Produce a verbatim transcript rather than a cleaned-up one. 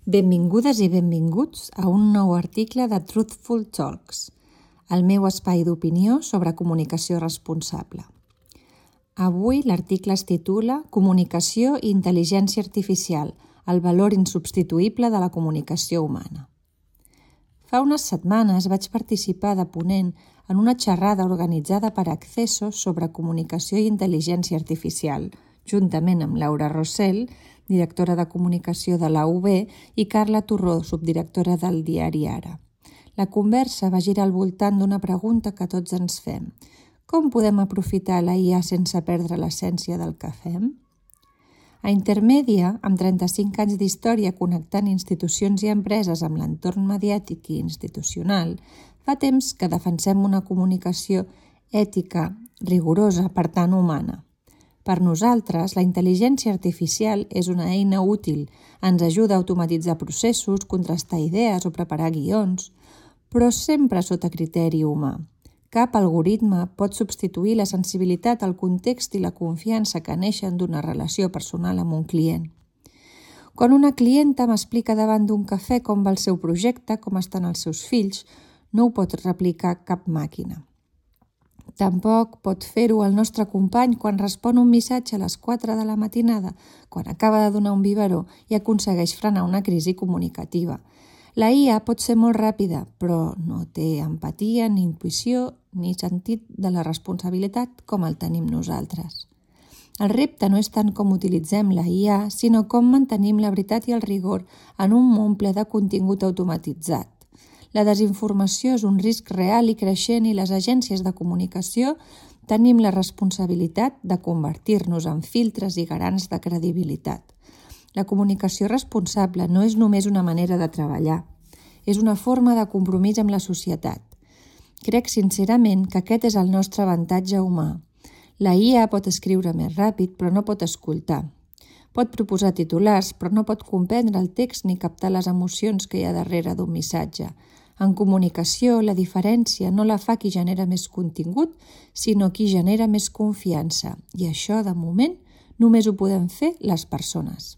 Benvingudes i benvinguts a un nou article de Truthful Talks, el meu espai d'opinió sobre comunicació responsable. Avui l'article es titula Comunicació i intel·ligència artificial, el valor insubstituïble de la comunicació humana. Fa unes setmanes vaig participar de ponent en una xerrada organitzada per Accessos sobre comunicació i intel·ligència artificial, juntament amb Laura Rossell, directora de comunicació de la U B, i Carla Torró, subdirectora del diari Ara. La conversa va girar al voltant d'una pregunta que tots ens fem. Com podem aprofitar la I A sense perdre l'essència del que fem? A Intermèdia, amb trenta-cinc anys d'història connectant institucions i empreses amb l'entorn mediàtic i institucional, fa temps que defensem una comunicació ètica, rigorosa, per tant humana. Per nosaltres, la intel·ligència artificial és una eina útil, ens ajuda a automatitzar processos, contrastar idees o preparar guions, però sempre sota criteri humà. Cap algoritme pot substituir la sensibilitat, el context i la confiança que neixen d'una relació personal amb un client. Quan una clienta m'explica davant d'un cafè com va el seu projecte, com estan els seus fills, no ho pot replicar cap màquina. Tampoc pot fer-ho el nostre company quan respon un missatge a les quatre de la matinada, quan acaba de donar un biberó i aconsegueix frenar una crisi comunicativa. La I A pot ser molt ràpida, però no té empatia, ni intuïció, ni sentit de la responsabilitat com el tenim nosaltres. El repte no és tant com utilitzem la I A, sinó com mantenim la veritat i el rigor en un món ple de contingut automatitzat. La desinformació és un risc real i creixent i les agències de comunicació tenim la responsabilitat de convertir-nos en filtres i garants de credibilitat. La comunicació responsable no és només una manera de treballar, és una forma de compromís amb la societat. Crec sincerament que aquest és el nostre avantatge humà. La I A pot escriure més ràpid, però no pot escoltar. Pot proposar titulars, però no pot comprendre el text ni captar les emocions que hi ha darrere d'un missatge. En comunicació, la diferència no la fa qui genera més contingut, sinó qui genera més confiança. I això, de moment, només ho podem fer les persones.